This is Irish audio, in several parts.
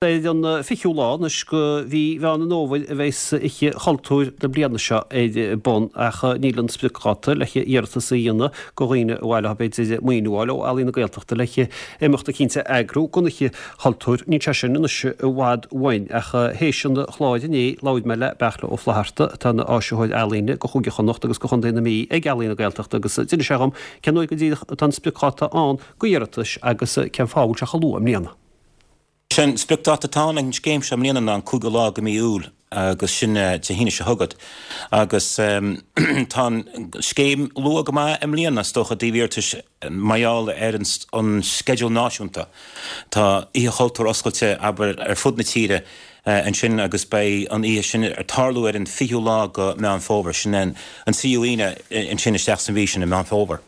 Ar an 20ú lá anois de mhí Mheán an Fhómhair a bheas Oíche Chultúir na bliana seo ar bun ach níl an spriocdháta le hiarratas a dhéanamh do dhaoine ar mhaith leo b'fhéidir maoiniú a fháil ó Ealaín na Gaeltachta le himeacht eicínt a eagrú don Oíche Chultúir, níl sé sin anois i bhfad uainn ach théis an chláir inné labhair mé le Beartla Ó Flatharta atá ina áisitheoir ealaíne do Chúige Chonnacht agus do Chontae na Mí ag Ealaín na Gaeltachta agus d'inis sé dhom cén uair go díreach atá an spriocdháta ann do iarratais agus cén fáth a bhfuil sé chomh luath i mbliana. Sé an spriocdáta atá ann ag an scéim seo i mbliana ná an 5ú lá de mí Iúil agus sin Dé hAoine seo chugat. Agus tá an scéim luath go maith i mbliana is dócha i dtaobh iarratais mar gheall ar an sceideal náisiúnta. Tá Oíche Chultúir oscailte, abair, ar fud na tíre ansin agus beidh an oíche sin ag tarlú ar an 20ú lá de Meán Fómhair, sin an tríú Aoine ansin isteach sa mhí sin i Meán Fómhair.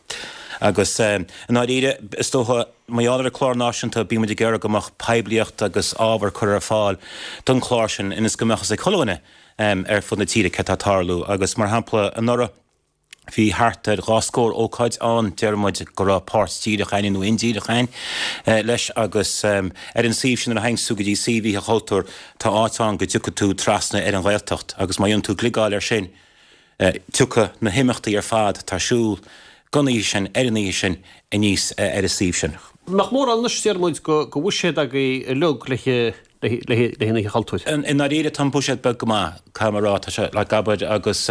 Agus i ndáiríre, is dócha, Mar gheall ar an chlár náisiúnta, bíonn muid ag iarraidh go mbeadh poiblíocht agus ábhar curtha ar fáil don chlár sin ionas go mbeadh a fhios ag chuile dhuine ar fud na tíre céard atá ag tarlú. Agus mar shampla, anuraidh bhí thart ar dhá scór ócáid ann, deir muid go raibh páirt díreach againn nó indíreach againn leis agus ar an suíomh sin nuair a théanns tú go dtí suíomh Oíche Chultúir tá áit ann go dtiocfaidh tú trasna ar an Ghaeltacht agus má dhéanann tú gliogáil air sin Tiocfaidh na himeachtaí ar fad atá ar siúl don oíche sin, ar an oíche sin, aníos ar an suíomh sin. Nach mórán anois, deir muid, de bhuiséad agaibh uilig le haghaidh an Oíche Chultúir? I ndáiríre, tá an buiséad beag go maith, caithfidh mé a rá. Tá sé, like, abair, agus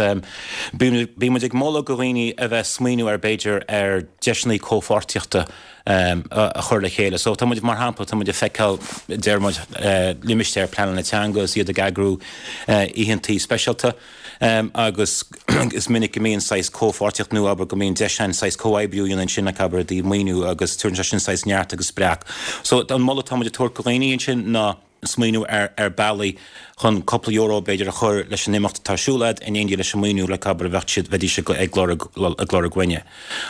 bíonn muid ag moladh do dhaoine a bheith ag smaoineamh ar, b'fhéidir, ar deiseanna comhpháirtíochta a chur le chéile. So tá muid, mar shampla, tá muid ag feiceáil, deir muid, limistéar pleanála teanga is iad ag eagrú oícheantaí speisialta agus is minic go mbíonn saghas comhpháirtíocht nó abair go mbíonn deis ann saghas comhoibriú a dhéanamh ansin like abair i dtaobh maoiniú agus tabharann sé sin saghas neart agus spreagadh. So an moladh atá muid ag tabhairt do dhaoine ansin ná smaoineamh ar ar bealaí chun cúpla euro b'fhéidir a chur leis an imeacht atá ar siúl agat in éindí leis an maoiniú like abair a bheadh siad bheidís ag ag lorg ag lorg uainne.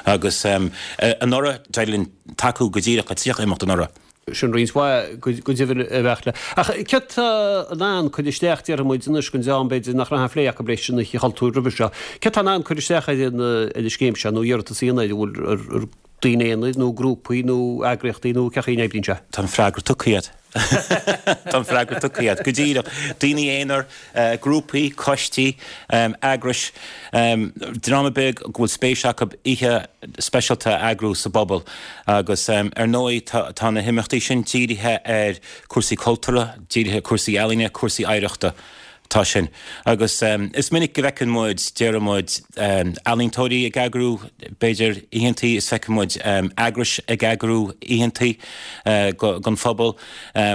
Agus anuraidh d'éirigh linn tacú go díreach le 30 imeacht anuraidh. Sin roinnt mhaith go deimhin a Bheartla. Ach céard tá in ann cur isteach, déarfaidh muid anois, don dream b'fhéidir nach raibh aon phlé acu leis an Oíche Chultúir roimhe seo, céard tá in ann cur isteach ar an scéim seo nó iarratas a dhéanamh air, an bhfuil ar daoine aonair nó grúpaí nó eagraíochtaí nó cén chaoi a n-oibríonn sé? Tá an freagra tugtha agat. Tá an freagra tugtha agat. Go díreach. Daoine aonair, grúpaí, coistí, eagrais, dream ar bith go bhfuil spéis acu oíche speisialta a eagrú sa bpobal. Agus ar ndóigh tá na himeachtaí sin dírithe ar cúrsaí cultúrtha, dírithe ar cúrsaí ealaíne, cúrsaí oidhreachta. Tá sin. Agus is minic go bhfeiceann muid, déarfaidh muid, ealaíontóirí ag eagrú, b'fhéidir, oícheantaí, is feiceann muid eagrais ag eagrú oícheantaí don phobal,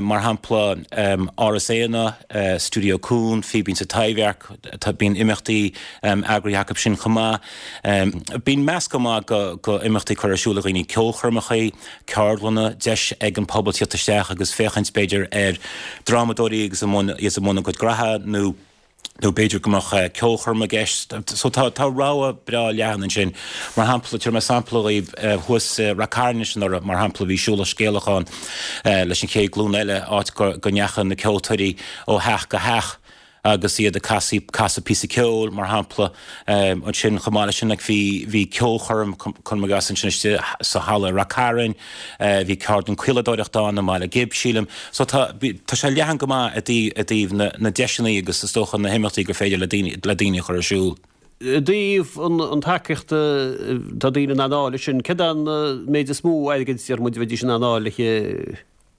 mar shampla Áras Éanna, Stiúideo Cuan, Fíbín sa Taibhdhearc, bíonn imeachtaí eagraithe acu sin chomh maith. Bíonn meascán maith de imeachtaí curtha ar siúl ag dhaoine, ceolchoirmeacha, ceardlanna, deis ag an pobal tíocht isteach agus féachaint, b'fhéidir, ar drámadóirí agus i mbun, iad i mbun a gcuid graithe nó nó b'fhéidir go mbeadh ceolchoirm i gceist. So tá, tá rogha breá leathan ansin. Mar shampla, tabharfaidh mé sampla dhaoibh, thuas i Rath Cairn anois anuraidh, mar shampla, bhí Siúlach Scéalach ann leis an Chéad Ghlúin Eile, áit go, go ndeachaigh na ceoltóirí ó theach go theach agus iad ag casadh, casadh píosa ceoil, mar shampla. Ansin, chomh maith leis sin, like, bhí, bhí ceolchoirm, cuirim i gcás, ansin istigh sa halla i Rath Cairn, bhí ceardlann caoladóireachta ann i mBaile Ghib, sílim. So tá, bhí, tá sé leathan go maith i dtaobh, i dtaobh na, na deiseanna agus is dócha na himeachtaí gur féidir le daoine, le daoine a chur ar siúl. I dtaobh an, an tacaíochta atá daoine in ann a fháil leis sin, céard é an méid is mó airgid, deir muid, a bheidís in ann a fháil le,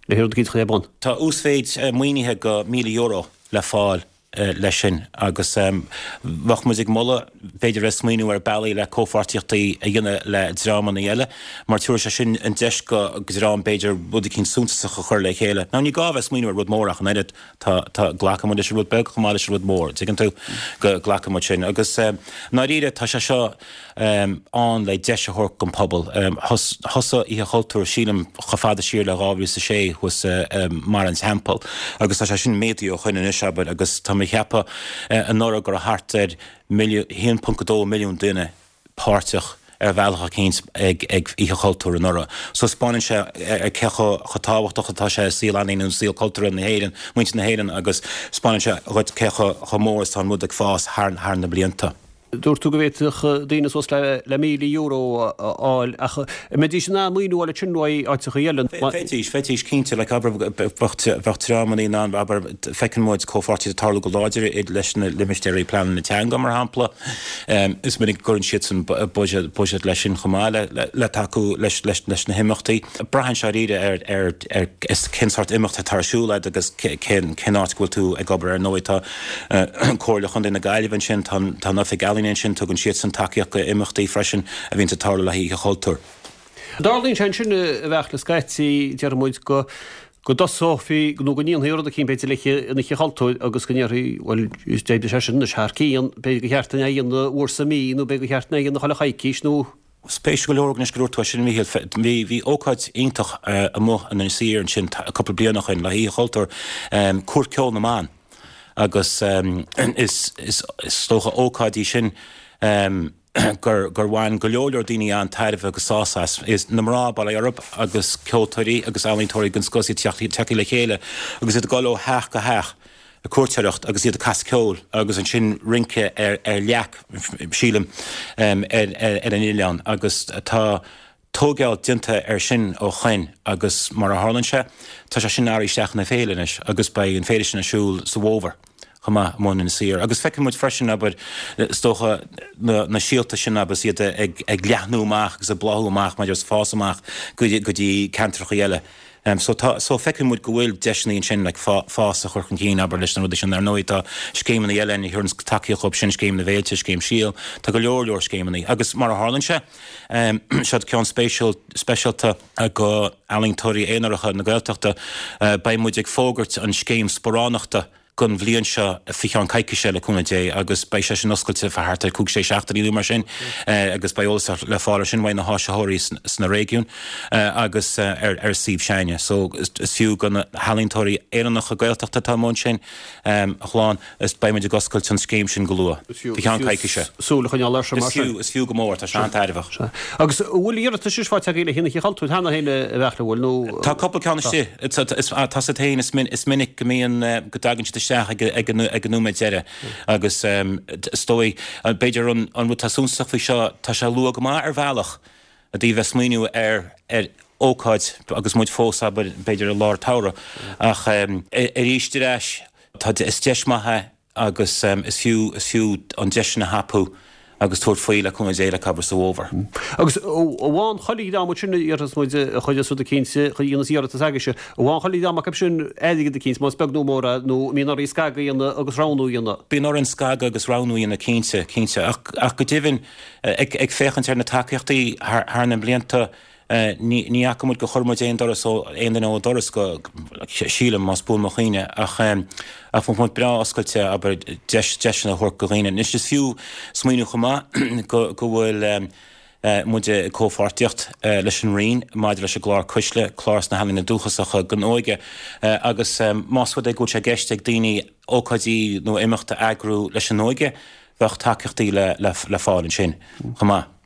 le rud eicínt a chur ar bun. Tá uasmhéid maoinithe de €1,000 le fáil leis sin agus bheadh muid ag moladh b'fhéidir a bheith ag smaoineamh ar bealaí le comhpháirtíochtaí a dhéanamh le dreamanna eile mar tabharfaidh sé sin an deis do dhream b'fhéidir rud eicínt suntasach a chur le chéile. Now ní gá a bheith ag smaoineamh ar rud mór ach an oiread, tá, tá, glacann muid leis an rud beag chomh maith leis an rud mór, tuigeann tú, go glacann muid sin agus i ndáiríre tá sé seo, ann le deis a thabhairt don phobal. Thosaigh Oíche Chultúir, sílim, chomh fada siar le 2006 thuas i mBarra an Teampaill agus tá sé sin méadaithe ó shoin anois, abair, agus tá mé ag ceapadh anuraidh go raibh thart ar 1.2 milliún duine páirteach ar bhealach eicínt ag Oíche Chultúir anuraidh. So 'spáineann sé cé chomh tábhachtach atá sé i saol ealaíne nó saol cultúrtha na hÉireann, muintir na hÉireann agus 'spáineann sé dhuit cé chomh mór is atá an rud ag fás thar na blianta. Dúirt tú go bhféadfadh daoine suas le €1,000 a fháil ach an mbeidís in ann maoiniú a fháil ansin uaidh áiteachaí eile? Bheidís, bheidís cinnte. Like, abair, bheadh dreamanna in ann, abair, feiceann muid comhpháirtíocht ag tarlú go láidir leis na limistéirí pleanála teanga, mar shampla. Is minic go gcuireann siadsan buiséad leis sin chomh maith le tacú leis na himeachtaí. Braitheann sé dáiríre ar ar cén sórt imeacht atá ar siúl agat agus cén áit go bhfuil tú ag obair. Ar ndóigh tá Comhairle Chontae na Gaillimhe ansin, tá an Oifig Ealaíon ansin, tugann siadsan tacaíocht go imeachtaí freisin a bhíonns ag tarlú le haghaidh Oíche Chultúir. Tarlaíonn sé ansin a Bheairtle scaití, déarfaidh muid, go go dtosófaí nó go ndéanfaí rud eicínt b'fhéidir le haghaidh an Oíche Chultúir agus go ndéarfaí bhuel d'oibrigh sé sin anois thar cionn, b'fhéidir gur cheart dúinn é a dhéanamh uair sa mhí nó b'fhéidir gur cheart dúinn é a dhéanamh chuile choicís nó. Spéisiúil go leor anois go dúirt tú é sin, a Mhíchíl. Bhí ócáid iontach amuigh in Inis Oírr ansin cúpla bliain ó shin le hOíche Chultúir, Cúirt Ceoil na mBan agus is dócha ócáid í sin gur bhain go leor leor daoine an-tairbhe agus sásamh as. Is na mná bail ó Dhia orthu agus ceoltóirí agus ealaíontóirí den scoth is iad tagtha le chéile agus iad ag dul ó theach go theach. ag cuairteoireacht agus iad ag casadh ceoil agus ansin rince ar leac, sílim, ar an oileán agus tá tóigeáil déanta air sin ó shoin agus mar a tharlaíonn sé, tá sé sin éirithe isteach ina féile anois agus beidh an féile sin ar siúl sa bhfómhar chomh maith amuigh in Inis Oírr. Agus feiceann muid freisin, abair, is dócha, na síolta sin agus iad ag leathnú amach agus ag bláthú amach maidir is fás amach go dtí ceantracha eile. So tá, so feiceann muid go bhfuil deiseanna ansin like fás a chur chun cinn, abair, leis na rudaí sin. Ar ndóigh tá scéimeanna eile ann a thugann tacaíocht dhóibh sin, Scéim na bhFéilte, Scéim Síol, tá go leor leor scéimeanna. Agus mar a tharlaíonn sé, seod ceann spéisiúil, speisialta go ealaíontóirí aonaracha na Gaeltachta, beidh muid ag fógairt an scéim sparánachta, don bhliain seo faoi cheann coicíse, le cúnamh Dé, agus beidh sé sin oscailte fá thart ar chúig, sé seachtainí nó mar sin agus beidh eolas le fáil ar sin uaidh na háisitheoirí sna réigiúin agus ar ar suíomh s'againne. So is fiú go na healaíontóirí Éireannacha Gaeltachta atá amuigh ansin a shlán, is beidh muid ag oscailt an scéim sin go luath, faoi cheann coicíse. Súil a choinneáil air sin mar sin. Is fiú, is fiú go mór, tá sé an-tairbheach. Sea. Agus an bhfuil iarratais faighte agaibh le haghaidh an Oíche Chultúir cheana féin a Bheairtle, an bhfuil nó? Tá cúpla ceann istigh. Tá a fhios agat féin, is minic go mbíonn, go dtagann siad isteach ag an nóiméad deiridh agus is dóigh, b'fhéidir an rud atá suntasach faoi seo, tá sé luath go maith ar bhealach i dtaobh bheith smaoineamh ar ar ócáid agus muid fós, abair, b'fhéidir i lár an tsamhraidh ach arís ar ais, tá, is deis maith é. agus is fiú, is fiú an deis sin a thapú agus tabhairt faoi le cúnamh Dé le abair sa bhfómhar. Agus amháin chuile dhream ansin a iarrfas muid a chuireas rud eicínt, a dhéanas iarratas agaibhse, amháin chuile dhream acu sin airgead eicínt, más beag nó mór é, nó an mbíonn oraibh scagadh a dhéanamh agus roghnú a dhéanamh. Bíonn orainn scagadh agus roghnú a dhéanamh cinnte, cinnte. Ach, ach go deimhin, ag, ag féachaint ar na tacaíochtaí thar, thar na blianta, Ní fhaca muid gur chuir muid aon doras ó, aon duine ó doras go, sílim, más buan mo chuimhne, ach ach bheadh muid breá oscailte, abair, deis, deiseanna a thabhairt go dhaoine. Anois is fiú smaoineamh chomh maith go, go bhfuil muid i comhpháirtíocht leis an Roinn maidir leis an gclár Cuisle, clár sna healaíona dúchasacha don óige, agus más rud é go bhfuil sé i gceist ag daoine ócáidí nó imeacht a eagrú leis an óige, bheadh tacaíochtaí le, le, le fáil ansin chomh maith.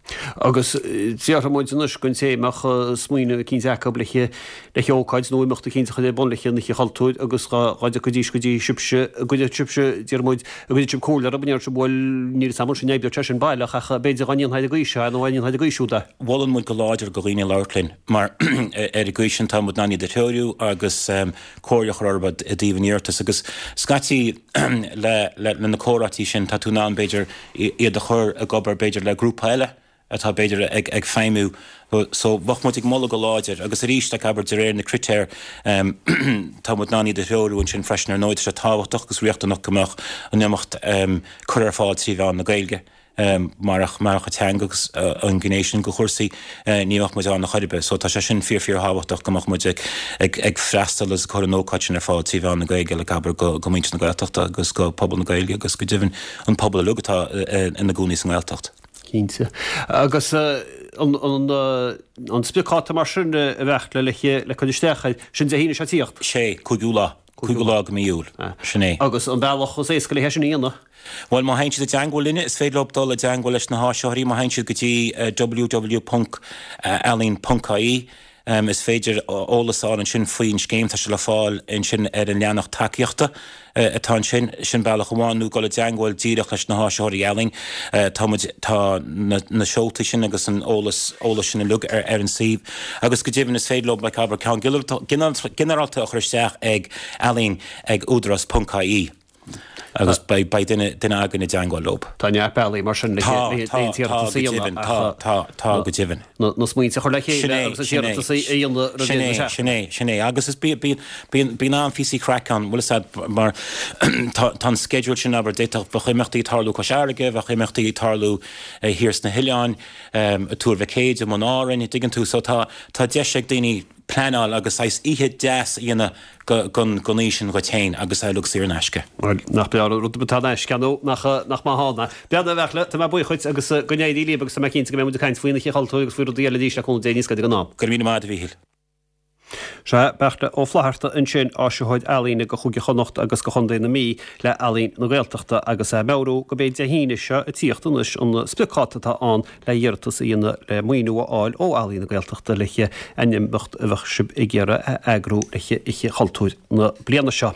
Agus déarfaidh muid anois don té a mbeadh smaoineamh eicínt acu le le hócáid nó imeacht eicínt a chur ar bun le an Oíche Chultúir agus dá dtiocfaidís go dtí sibhse, an gcuirfeadh sibhse, déarfaidh muid, an gcuirfeadh sibh comhairle orthu, an ndéarfadh sibh bhuel níl fhios a'm ansin an oibreoidh sé sin baileach ach b'fhéidir dá ndéanfá ar an gcaoi seo é nó dá ndéanfá ar an gcaoi siúd é. Molann muid go láidir go dhaoine labhairt linn mar ar an gcaoi sin tá muid in ann iad a threorú agus comhairle a chur orthu i dtaobh an iarratais agus scaití le le na comhráití sin tá tú in ann b'fhéidir iad a chur ag obair b'fhéidir le grúpa eile atá b'fhéidir ag ag feidhmiú so bheadh muid ag moladh go láidir agus arís like abair de réir na critéir tá muid in ann iad a threorú ansin freisin ar ndóigh tá sé tábhachtach agus riachtanach go mbeadh an imeacht curtha ar fáil trí mheán na Gaeilge. Marach marach an teanga agus an ghné sin de chúrsaí, ní bheadh muid ann ar chor ar bith. So tá sé sin fíor fíor thábhachtach go mbeadh muid ag ag ag freastal agus ag cur an ócáid sin ar fáil trí mheán na Gaeilge like abair go go muintir na Gaeltachta agus go pobal na Gaeilge agus go deimhin an pobal uilig atá ina gcónaí sa nGaeltacht. Cinnte. Agus an an an spriocdháta mar sin a Bheairtle le le cur isteach air, sin Dé hAoine seo ag tíocht? Sé, 5ú lá. 5ú lá de mí Iúil. Sin é. Agus an bealach is éasca le é sin a dhéanamh? Bhuel, má théann siad i dteangmháil linne, is féidir leo dul i dteangmháil leis na háisitheoirí má théann siad go dtí www.ealaín.ie. Is féidir eolas a fháil ansin faoin scéim, tá sé le fáil ansin ar an leathanach tacaíochta atá ansin. Sin bealach amháin, nó dul i dteangmháil díreach leis na háisitheoirí ealaíon. Tá muid, tá na seoltaí sin agus an eolas, eolas sin uilig ar an suíomh. Agus go deimhin is féidir leo, like, abair, ceann ginearálta a chur isteach ag ealaín ag údarás ponc ie. Agus beidh duine againn i dteangmháil leo. Tá neart bealaí mar sin le an t-iarratas a dhéanamh ach. Tá, tá, tá, go deimhin. Na smaointe a chur le chéile agus an t-iarratas a dhéanamh roimh dheireadh na seachtaine. Sin é, sin é. Agus is bíonn an-phíosaí craic ann, bhfuil fhios a'd, mar tá an sceideal sin, abair, d'fhéadfadh, bheadh imeachtaí ag tarlú Cois Fharraige, bheadh imeachtaí ag tarlú thiar sna hoileáin, i Tuar Mhic Éide, i mBun Árainn, dtuigeann tú, so tá deis ag daoine pleanáil agus saghas oíche deas a dhéanamh gon oíche sin dhuit féin agus é uilig saor in aisce. Bhuel, nach breá an rud atá in aisce, nó nach nach maith ann é. Beannacht, a Bheairtle, tá mé buíoch dhuit agus go n-éirí libh agus tá mé cinnte go mbeidh muid ag caint faoin Oíche Chultúir agus faoi rudaí eile arís le cúnamh Dé níos gaire don am. Go raibh míle maith agat, a Mhíchíl. Sea, Beairtle Ó Flatharta ansin, áisitheoir ealaíne go Chúige Chonnacht agus go Chontae na Mí le Ealaín na Gaeltachta agus é ag meabhrú gurb é Dé hAoine seo ag tíocht anois an spriocdháta atá ann le hiarratas a dhéanamh le maoiniú a fháil ó Ealaín na Gaeltachta le aon imeacht a bheadh sibh ag iarraidh a eagrú le hOíche Chultúir na bliana seo.